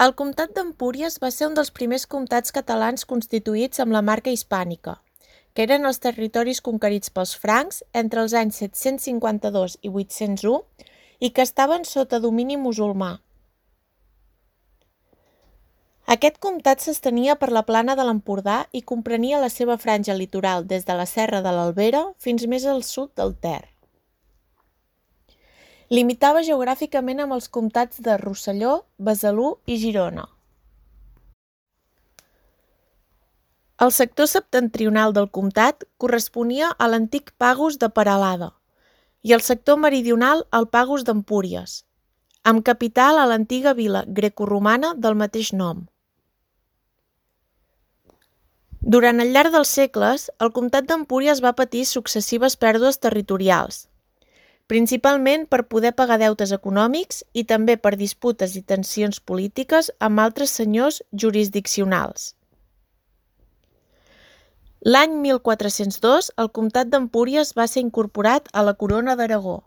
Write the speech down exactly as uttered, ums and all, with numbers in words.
El comtat d'Empúries va ser un dels primers comtats catalans constituïts amb la marca hispànica, que eren els territoris conquerits pels francs entre els anys set-cents cinquanta-dos i vuit-cents u i que estaven sota domini musulmà. Aquest comtat s'estenia per la plana de l'Empordà i comprenia la seva franja litoral des de la Serra de l'Albera fins més al sud del Ter. Limitava geogràficament amb els comtats de Rosselló, Besalú i Girona. El sector septentrional del comtat corresponia a l'antic Pagus de Peralada i el sector meridional al Pagus d'Empúries, amb capital a l'antiga vila grecoromana del mateix nom. Durant el llarg dels segles, el comtat d'Empúries va patir successives pèrdues territorials, principalment per poder pagar deutes econòmics i també per disputes i tensions polítiques amb altres senyors jurisdiccionals. L'any mil quatre-cents dos, el comtat d'Empúries va ser incorporat a la Corona d'Aragó.